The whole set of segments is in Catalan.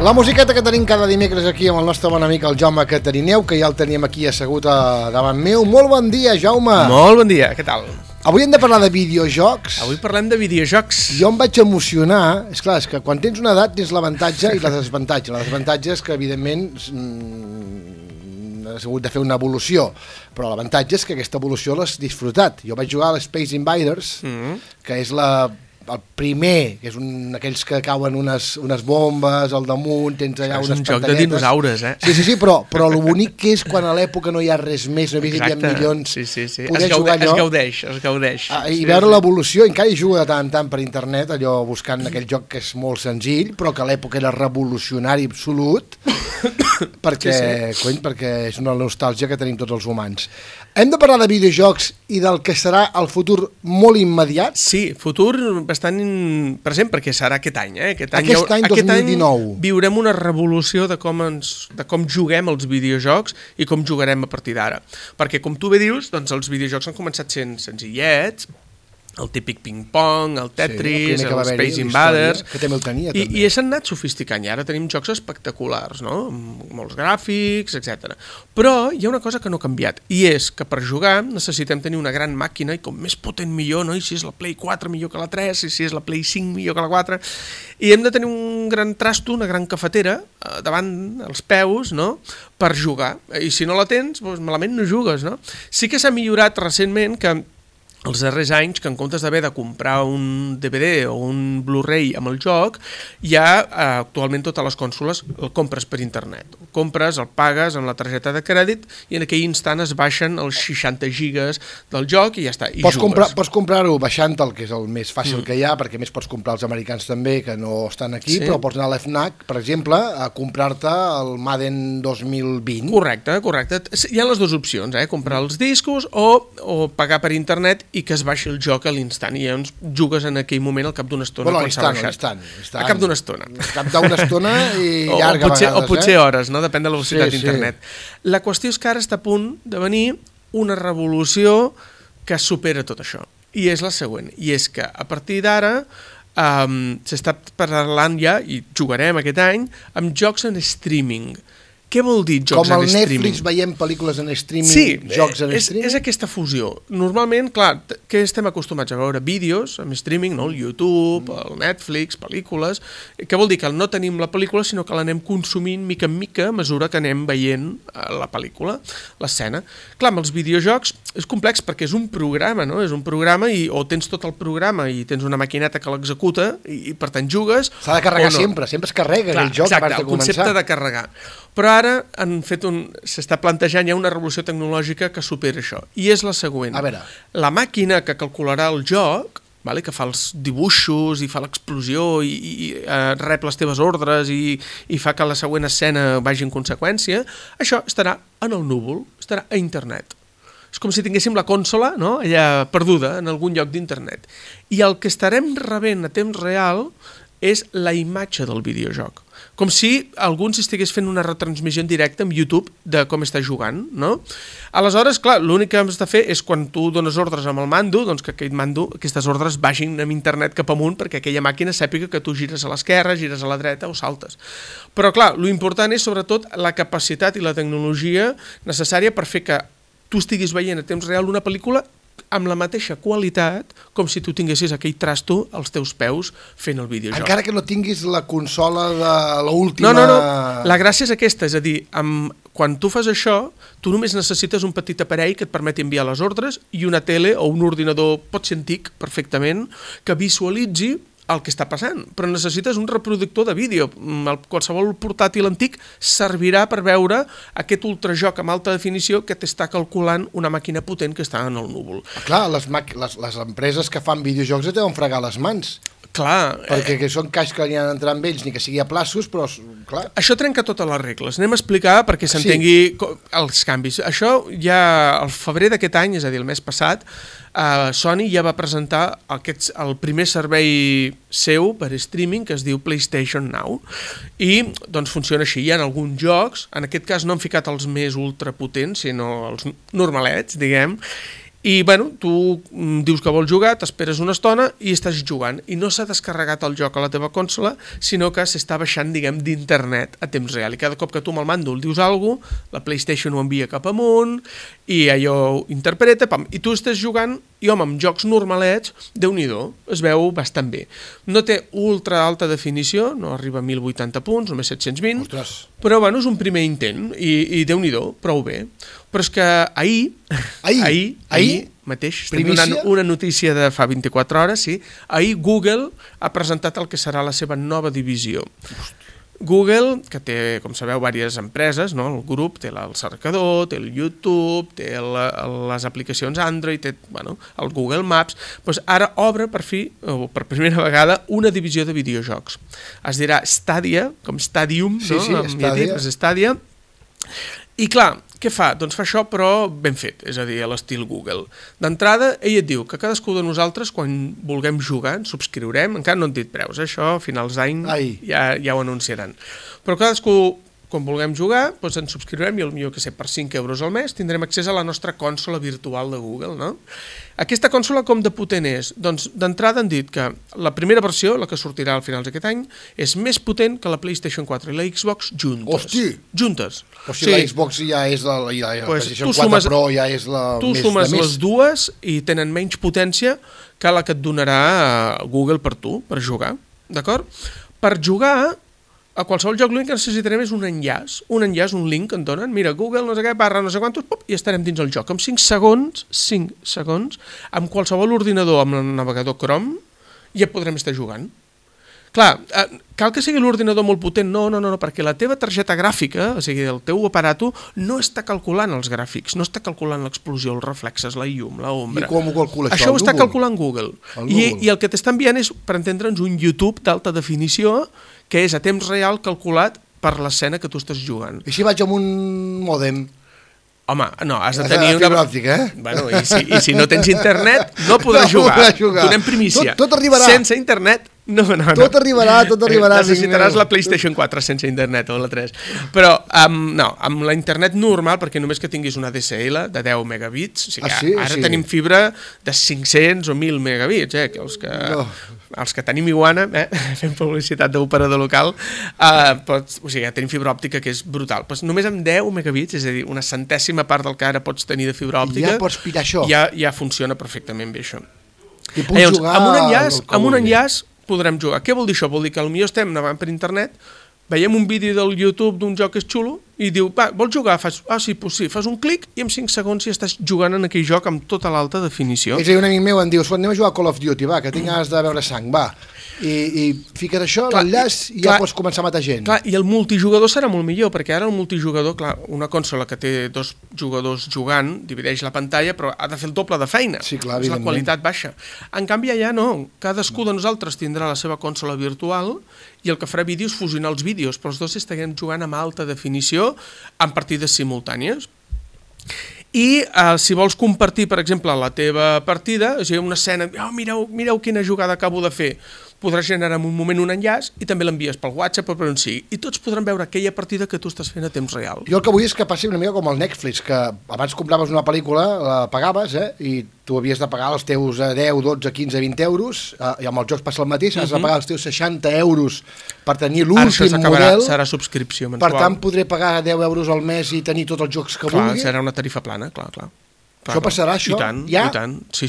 La musiqueta que tenim cada dimecres aquí amb el nostre bon amic el Jaume Catarineu, que ja el teníem aquí assegut davant meu. Molt bon dia, Jaume. Molt bon dia, què tal? Avui hem de parlar de videojocs. Avui parlem de videojocs. Jo em vaig emocionar. És clar, és que quan tens una edat tens l'avantatge i la desavantatge. La desavantatge és que, evidentment, has hagut de fer una evolució, però l'avantatge és que aquesta evolució l'has disfrutat. Jo vaig jugar a l'Space Invaders, que és el primer, que és aquells que cauen unes bombes al damunt, tens allà unes pantalletes. És un joc de dinosaures, eh? Sí, però el bonic que és quan a l'època no hi ha res més, no hi havia milions, poder jugar allò. Es gaudeix. I veure l'evolució, encara hi juga de tant en tant per internet, allò buscant aquell joc que és molt senzill, però que a l'època era revolucionari absolut, perquè és una nostàlgia que tenim tots els humans. Hem de parlar de videojocs i del que serà el futur molt immediat? Sí, futur bastant present, perquè serà aquest any. Aquest any 2019. Viurem una revolució de com juguem els videojocs i com jugarem a partir d'ara. Perquè, com tu bé dius, doncs els videojocs han començat sent senzillets, el típic ping-pong, el Tetris, el Space Invaders, que també el tenia, i s'han anat sofisticant, i ara tenim jocs espectaculars, no? Amb molts gràfics, etc. Però hi ha una cosa que no ha canviat, i és que per jugar necessitem tenir una gran màquina, i com més potent millor, no? I si és la Play 4 millor que la 3, i si és la Play 5 millor que la 4, i hem de tenir un gran trasto, una gran cafetera, davant els peus, no?, per jugar, i si no la tens, doncs malament no jugues, no? Sí que s'ha millorat recentment que els darrers anys, que en comptes d'haver de comprar un DVD o un Blu-ray amb el joc, ja actualment totes les consoles el compres per internet. El compres, el pagues amb la targeta de crèdit i en aquell instant es baixen els 60 gigas del joc i ja està, i jugues. Pots comprar-ho baixant-te'l, que és el més fàcil que hi ha, perquè més pots comprar els americans també, que no estan aquí, però pots anar a l'FNAC, per exemple, a comprar-te el Madden 2020. Correcte. Hi ha les dues opcions, comprar els discos o pagar per internet i que es baixi el joc a l'instant i llavors jugues en aquell moment al cap d'una estona quan s'ha baixat. A cap d'una estona. A cap d'una estona i llarga vegades. O potser hores, no? Depèn de la velocitat d'internet. La qüestió és que ara està a punt de venir una revolució que supera tot això. I és la següent. I és que a partir d'ara s'està parlant ja, i jugarem aquest any, amb jocs en streaming. Què vol dir jocs en streaming? Com al Netflix veiem pel·lícules en streaming, jocs en streaming? És aquesta fusió. Normalment, clar, què estem acostumats a veure? Vídeos en streaming, no? El YouTube, el Netflix, pel·lícules. Què vol dir? Que no tenim la pel·lícula, sinó que l'anem consumint mica en mica a mesura que anem veient la pel·lícula, l'escena. Clar, amb els videojocs és complex perquè és un programa, no? És un programa o tens tot el programa i tens una maquineta que l'executa i per tant jugues. S'ha de carregar sempre es carrega aquell joc abans de començar. El concepte de carregar. Però ara s'està plantejant ja una revolució tecnològica que supera això. I és la següent. A veure. La màquina que calcularà el joc, que fa els dibuixos i fa l'explosió i rep les teves ordres i fa que la següent escena vagi en conseqüència, això estarà en el núvol, estarà a internet. És com si tinguéssim la consola, no?, allà perduda en algun lloc d'internet. I el que estarem rebent a temps real és la imatge del videojoc. Com si algú estigués fent una retransmissió en directe amb YouTube de com està jugant, no? Aleshores, clar, l'únic que has de fer és quan tu dones ordres amb el mando, doncs que aquest mando, aquestes ordres vagin amb internet cap amunt perquè aquella màquina sàpiga que tu gires a l'esquerra, gires a la dreta o saltes. Però clar, l'important és sobretot la capacitat i la tecnologia necessària per fer que tu estiguis veient a temps real una pel·lícula amb la mateixa qualitat com si tu tinguessis aquell trasto als teus peus fent el videojoc. Encara que no tinguis la consola de l'última... No. La gràcia és aquesta, és a dir, quan tu fas això, tu només necessites un petit aparell que et permeti enviar les ordres i una tele o un ordinador, pot ser antic perfectament, que visualitzi el que està passant, però necessites un reproductor de vídeo. Qualsevol portàtil antic servirà per veure aquest ultrajoc amb alta definició que t'està calculant una màquina potent que està en el núvol. Clar, les empreses que fan videojocs et deuen fregar les mans. Clar. Perquè són caix que n'hi ha d'entrar amb ells, ni que sigui a plaços, però clar. Això trenca totes les regles. Anem a explicar perquè s'entengui els canvis. Això ja al febrer d'aquest any, és a dir, el mes passat, Sony ja va presentar el primer servei seu per streaming que es diu PlayStation Now i doncs funciona així. Hi ha alguns jocs, en aquest cas no han ficat els més ultrapotents, sinó els normalets, diguem, I, bueno, tu dius que vols jugar, t'esperes una estona i estàs jugant. I no s'ha descarregat el joc a la teva consola, sinó que s'està baixant, diguem, d'internet a temps real. I cada cop que tu amb el màndol dius alguna cosa, la PlayStation ho envia cap amunt i allò ho interpreta, pam, i tu estàs jugant i, home, amb jocs normalets, Déu-n'hi-do, es veu bastant bé. No té ultra alta definició, no arriba a 1080 punts, només 720, Ostres. però, bueno, és un primer intent i Déu-n'hi-do, prou bé. Però és que ahir mateix, estem donant una notícia de fa 24 hores, sí, ahir Google ha presentat el que serà la seva nova divisió. Google, que té, com sabeu, diverses empreses, no? El grup té el cercador, té el YouTube, té les aplicacions Android, té, bueno, el Google Maps, doncs ara obre per fi, o per primera vegada, una divisió de videojocs. Es dirà Stadia, com Stadium, sí, no? Sí, Stadia. Stadia. I clar, què fa? Doncs fa això però ben fet, és a dir, a l'estil Google. D'entrada, ell et diu que cadascú de nosaltres, quan vulguem jugar, ens subscriurem, encara no han dit preus, això a finals d'any ja ho anunciaran. Però cadascú, quan vulguem jugar, doncs ens subscriurem i potser per 5 euros al mes tindrem accés a la nostra consola virtual de Google, no? Aquesta consola com de potent és? Doncs d'entrada han dit que la primera versió, la que sortirà al finals d'aquest any, és més potent que la PlayStation 4 i la Xbox juntes. Hosti! Juntes. O sigui, la Xbox ja és la PlayStation 4 Pro ja és la més... Tu sumes les dues i tenen menys potència que la que et donarà Google per tu, per jugar, d'acord? Per jugar, a qualsevol joc l'únic que necessitarem és un enllaç, un link que en donen, mira, Google, no sé què, barra, no sé quantos, pop, i estarem dins el joc. En 5 segons, amb qualsevol ordinador, amb el navegador Chrome, ja podrem estar jugant. Clar, cal que sigui l'ordinador molt potent? No, perquè la teva targeta gràfica, o sigui, el teu aparato, no està calculant els gràfics, no està calculant l'explosió, els reflexes, la llum, la ombra. I com ho calcula això? Això ho està calculant Google. I el que t'està enviant és, per entendre'ns, un YouTube d'alta definició que és a temps real calculat per l'escena que tu estàs jugant. I si vaig amb un mòdem? Home, no, has de tenir una... fibra òptica, eh? Bueno, i si no tens internet, no podràs jugar. Donem primícia. Tot arribarà. Sense internet, no. Tot arribarà. Necessitaràs la PlayStation 4 sense internet, o la 3. Però, no, amb la internet normal, perquè només que tinguis una DSL de 10 megabits, o sigui, ara tenim fibra de 500 o 1.000 megabits, que els que tenim Iguana, fem publicitat d'operador local, o sigui, tenim fibra òptica que és brutal. Doncs només amb 10 megabits, és a dir, una centèsima part del que ara pots tenir de fibra òptica, ja pots pillar això. Ja funciona perfectament bé això. I pots jugar amb un enllaç podrem jugar. Què vol dir això? Vol dir que potser estem navegant per internet, veiem un vídeo del YouTube d'un joc que és xulo i diu, va, vols jugar? Sí, fas un clic i en 5 segons ja estàs jugant en aquell joc amb tota l'alta definició. És a dir, un amic meu em diu, anem a jugar a Call of Duty, va, que tinc ganes de veure sang, va. I fiques això, l'enllaç, i ja pots començar a matar gent. Clar, i el multijugador serà molt millor, perquè ara el multijugador, clar, una consola que té 2 jugadors jugant, divideix la pantalla, però ha de fer el doble de feina. Sí, clar, és la qualitat baixa. En canvi, allà no. Cadascú de nosaltres tindrà la seva consola virtual i el que farà vídeos fusionar els vídeos, però els dos estarem jugant amb alta definició en partides simultànies. I si vols compartir, per exemple, la teva partida, o sigui, una escena, mireu quina jugada acabo de fer, podràs generar en un moment un enllaç i també l'envies pel WhatsApp o per on sigui. I tots podran veure aquella partida que tu estàs fent a temps real. Jo el que vull és que passi una mica com el Netflix, que abans compraves una pel·lícula, la pagaves, i tu havies de pagar els teus 10, 12, 15, 20 euros, i amb els jocs passa el mateix, has de pagar els teus 60 euros per tenir l'últim model. Serà subscripció mensual. Per tant, podré pagar 10 euros al mes i tenir tots els jocs que vulgui. Serà una tarifa plana, clar. Això passarà, això? I tant. Sí.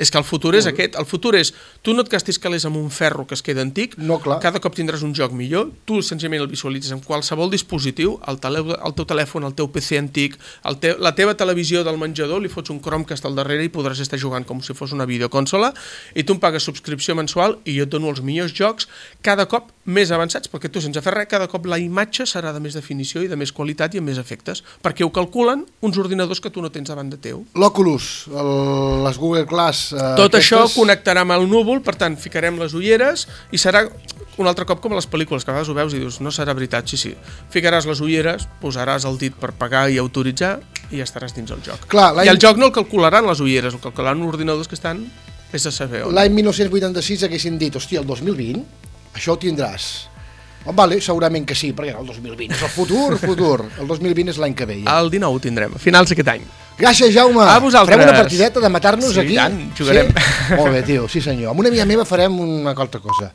És que el futur és aquest. El futur és, tu no et gastis calés amb un ferro que es queda antic, cada cop tindràs un joc millor, tu senzillament el visualitzes en qualsevol dispositiu, el teu telèfon, el teu PC antic, la teva televisió del menjador, li fots un Chromecast al darrere i podràs estar jugant com si fos una videoconsola, i tu em pagues subscripció mensual i jo et dono els millors jocs cada cop més avançats, perquè tu sense fer res, cada cop la imatge serà de més definició i de més qualitat i amb més efectes, perquè ho calculen uns ordinadors que tu no tens davant de teu. L'Oculus, les Google Glass... Tot això connectarà amb el núvol, per tant, ficarem les ulleres i serà un altre cop com a les pel·lícules, que a vegades ho veus i dius, no serà veritat, sí. Ficaràs les ulleres, posaràs el dit per pagar i autoritzar i ja estaràs dins el joc. I el joc no el calcularan les ulleres, el calcularan ordinadors que estan, és de saber on. L'any 1986 haguessin dit, hòstia, el 2020, això ho tindràs. Vale, segurament que sí, perquè el 2020 és el futur. El 2020 és l'any que ve. El 19 ho tindrem, a finals d'aquest any. Gràcies, Jaume. A vosaltres. Farem una partideta de matar-nos Sí, aquí? i tant, jugarem. Sí? Molt bé, tio, sí senyor. Amb una amiga meva farem una altra cosa.